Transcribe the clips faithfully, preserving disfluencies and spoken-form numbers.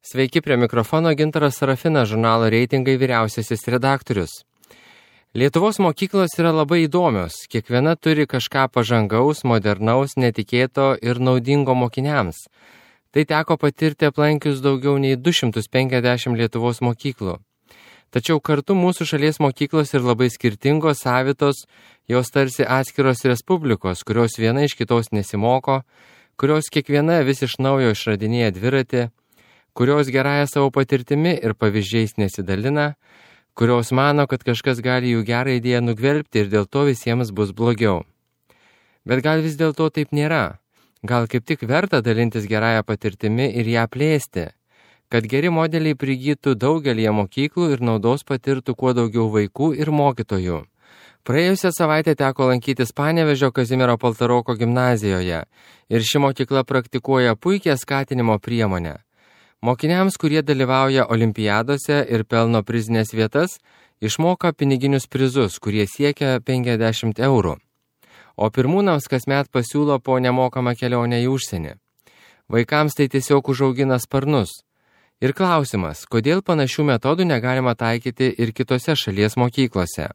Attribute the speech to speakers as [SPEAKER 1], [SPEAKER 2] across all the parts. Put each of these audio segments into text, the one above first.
[SPEAKER 1] Sveiki, prie mikrofono Gintaras Sarafinas, žurnalo Reitingai vyriausiasis redaktorius. Lietuvos mokyklos yra labai įdomios, kiekviena turi kažką pažangaus, modernaus, netikėto ir naudingo mokiniams. Tai teko patirti aplankius daugiau nei du šimtus penkiasdešimt Lietuvos mokyklų. Tačiau kartu mūsų šalies mokyklos ir labai skirtingos, savitos, jos tarsi atskiros respublikos, kurios viena iš kitos nesimoko, kurios kiekviena vis iš naujo išradinėja dviratį, kurios gerąją savo patirtimi ir pavyzdžiais nesidalina, kurios mano, kad kažkas gali jų gerą idėją nugvelbti ir dėl to visiems bus blogiau. Bet gal vis dėlto taip nėra. Gal kaip tik verta dalintis gerąją patirtimi ir ją plėsti, kad geri modeliai prigytų daugelį mokyklų ir naudos patirtų kuo daugiau vaikų ir mokytojų. Praėjusią savaitę teko lankytis Panevėžio Kazimiero Paltaroko gimnazijoje ir ši mokykla praktikuoja puikią skatinimo priemonę. Mokiniams, kurie dalyvauja olimpiadose ir pelno prizinės vietas, išmoka piniginius prizus, kurie siekia penkiasdešimt eurų. O pirmūnams kasmet pasiūlo po nemokamą kelionę į užsienį. Vaikams tai tiesiog užaugina sparnus. Ir klausimas, kodėl panašių metodų negalima taikyti ir kitose šalies mokyklose.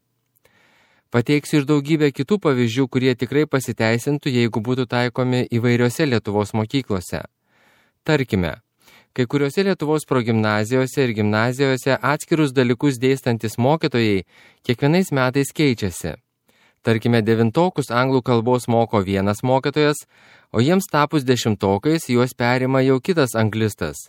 [SPEAKER 1] Pateiksiu ir daugybę kitų pavyzdžių, kurie tikrai pasiteisintų, jeigu būtų taikomi įvairiose Lietuvos mokyklose. Tarkime, kai kuriuose Lietuvos progimnazijose ir gimnazijose atskirus dalykus dėstantis mokytojai kiekvienais metais keičiasi. Tarkime, devintokus anglų kalbos moko vienas mokytojas, o jiems tapus dešimtokais juos perima jau kitas anglistas.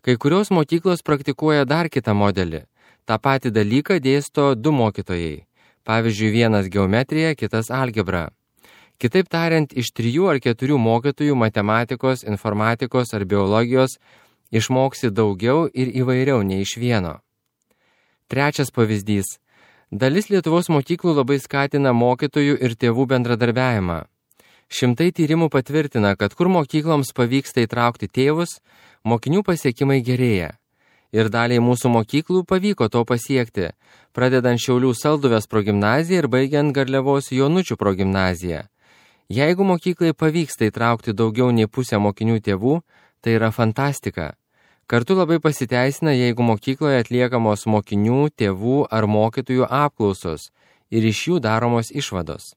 [SPEAKER 1] Kai kurios mokyklos praktikuoja dar kitą modelį. Ta patį dalyką dėsto du mokytojai. Pavyzdžiui, vienas geometrija, kitas algebra. Kitaip tariant, iš trijų ar keturių mokytojų matematikos, informatikos ar biologijos išmoksi daugiau ir įvairiau nei iš vieno. Trečias pavyzdys. Dalis Lietuvos mokyklų labai skatina mokytojų ir tėvų bendradarbiavimą. Šimtai tyrimų patvirtina, kad kur mokykloms pavyksta įtraukti tėvus, mokinių pasiekimai gerėja. Ir daliai mūsų mokyklų pavyko to pasiekti, pradedant Šiaulių Salduvės progimnaziją ir baigiant Garliavos Jonučių progimnaziją. Jeigu mokyklai pavyksta įtraukti daugiau nei pusę mokinių tėvų, tai yra fantastika. Kartu labai pasiteisina, jeigu mokykloje atliekamos mokinių, tėvų ar mokytojų apklausos ir iš jų daromos išvados.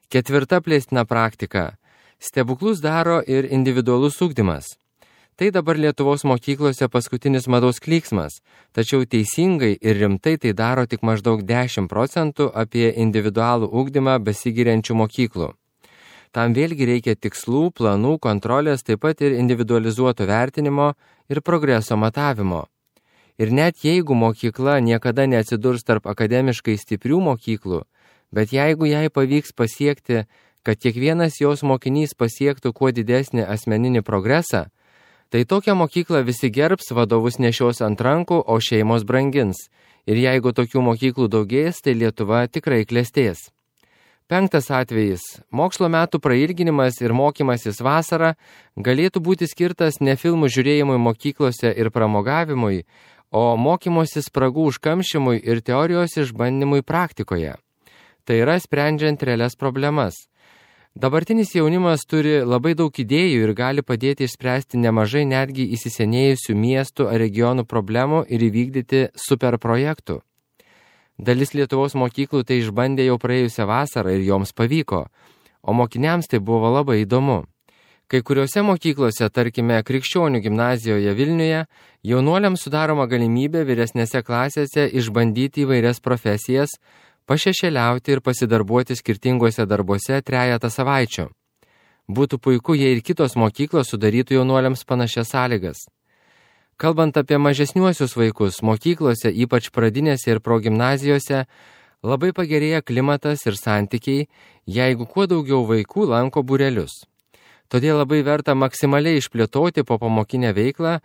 [SPEAKER 1] Ketvirta plėstina praktika. Stebuklus daro ir individualus ugdymas. Tai dabar Lietuvos mokyklose paskutinis mados klyksmas, tačiau teisingai ir rimtai tai daro tik maždaug dešimt procentų apie individualų ugdymą besigiriančių mokyklų. Tam vėlgi reikia tikslų, planų, kontrolės, taip pat ir individualizuoto vertinimo ir progreso matavimo. Ir net jeigu mokykla niekada neatsidurs tarp akademiškai stiprių mokyklų, bet jeigu jai pavyks pasiekti, kad kiekvienas jos mokinys pasiektų kuo didesnį asmeninį progresą, tai tokią mokyklą visi gerbs, vadovus nešios ant rankų, o šeimos brangins. Ir jeigu tokių mokyklų daugės, tai Lietuva tikrai klestės. Penktas atvejis. Mokslo metų prailginimas ir mokymasis vasarą galėtų būti skirtas ne filmų žiūrėjimui mokyklose ir pramogavimui, o mokymosi spragų užkamšymui ir teorijos išbandymui praktikoje. Tai yra sprendžiant realias problemas. Dabartinis jaunimas turi labai daug idėjų ir gali padėti išspręsti nemažai netgi įsisenėjusių miestų ar regionų problemų ir įvykdyti superprojektų. Dalis Lietuvos mokyklų tai išbandė jau praėjusią vasarą ir joms pavyko, o mokiniams tai buvo labai įdomu. Kai kuriuose mokyklose, tarkime Krikščionių gimnazijoje Vilniuje, jaunuoliams sudaroma galimybė vyresnėse klasėse išbandyti įvairias profesijas, pašešėliauti ir pasidarbuoti skirtinguose darbuose trejatą savaičių. Būtų puiku, jei ir kitos mokyklos sudarytų jaunuoliams panašias sąlygas. Kalbant apie mažesniuosius vaikus, mokyklose, ypač pradinėse ir progimnazijose, labai pagerėja klimatas ir santykiai, jeigu kuo daugiau vaikų lanko būrelius. Todėl labai verta maksimaliai išplėtoti popamokinę veiklą,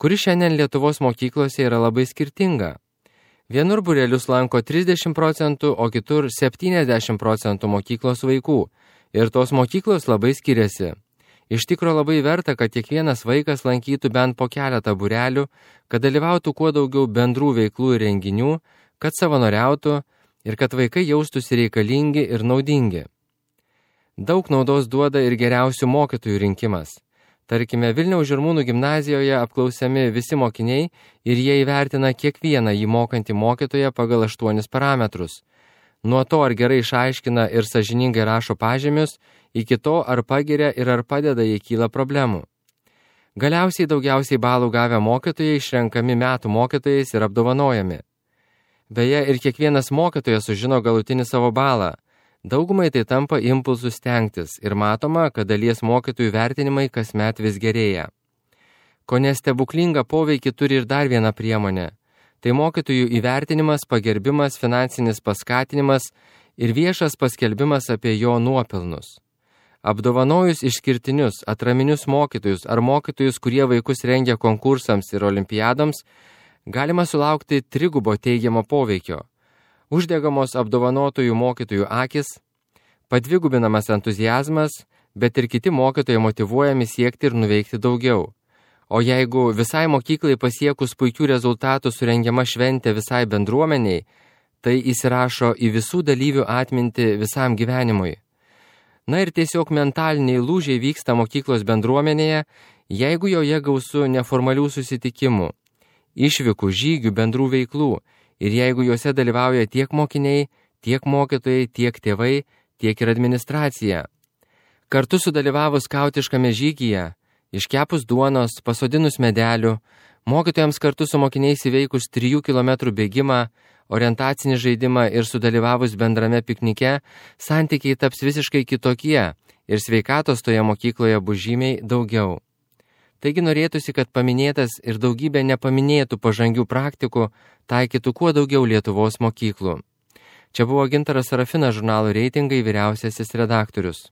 [SPEAKER 1] kuri šiandien Lietuvos mokyklose yra labai skirtinga. Vienur būrelius lanko trisdešimt procentų, o kitur septyniasdešimt procentų mokyklos vaikų. Ir tos mokyklos labai skiriasi. Iš tikro labai verta, kad kiekvienas vaikas lankytų bent po keletą būrelių, kad dalyvautų kuo daugiau bendrų veiklų ir renginių, kad savanoriautų ir kad vaikai jaustųsi reikalingi ir naudingi. Daug naudos duoda ir geriausių mokytojų rinkimas. Tarkime, Vilniaus Žirmūnų gimnazijoje apklausiami visi mokiniai ir jie įvertina kiekvieną jį mokantį mokytoją pagal aštuonis parametrus. Nuo to, ar gerai išaiškina ir sąžiningai rašo pažymius, iki to, ar pagiria ir ar padeda, jei kyla problemų. Galiausiai daugiausiai balų gavę mokytojai išrenkami metų mokytojais ir apdovanojami. Beje, ir kiekvienas mokytojas sužino galutinį savo balą. Daugumai tai tampa impulsų stengtis ir matoma, kad dalies mokytojų vertinimai kasmet vis gerėja. Kone stebuklingą poveikį turi ir dar viena priemonė. Tai mokytojų įvertinimas, pagerbimas, finansinis paskatinimas ir viešas paskelbimas apie jo nuopelnus. Apdovanojus išskirtinius, atraminius mokytojus ar mokytojus, kurie vaikus rengia konkursams ir olimpiadoms, galima sulaukti trigubo teigiamo poveikio. Uždegamos apdovanotųjų mokytojų akis, padvigubinamas entuziazmas, bet ir kiti mokytojai motyvuojami siekti ir nuveikti daugiau. O jeigu visai mokyklai pasiekus puikių rezultatų surengiama šventė visai bendruomeniai, tai įsirašo į visų dalyvių atmintį visam gyvenimui. Na ir tiesiog mentaliniai lūžiai vyksta mokyklos bendruomenėje, jeigu joje gausu neformalių susitikimų, išvykų, žygių, bendrų veiklų, ir jeigu juose dalyvauja tiek mokiniai, tiek mokytojai, tiek tėvai, tiek ir administracija. Kartu sudalyvavus skautiškame žygyje, iškepus duonos, pasodinus medelių, mokytojams kartu su mokiniais įveikus trijų kilometrų bėgimą, orientacinį žaidimą ir sudalyvavus bendrame piknike, santykiai taps visiškai kitokie ir sveikatos toje mokykloje bus žymiai daugiau. Taigi norėtųsi, kad paminėtas ir daugybė nepaminėtų pažangių praktikų taikytų kuo daugiau Lietuvos mokyklų. Čia buvo Gintaras Sarafinas, žurnalo Reitingai vyriausiasis redaktorius.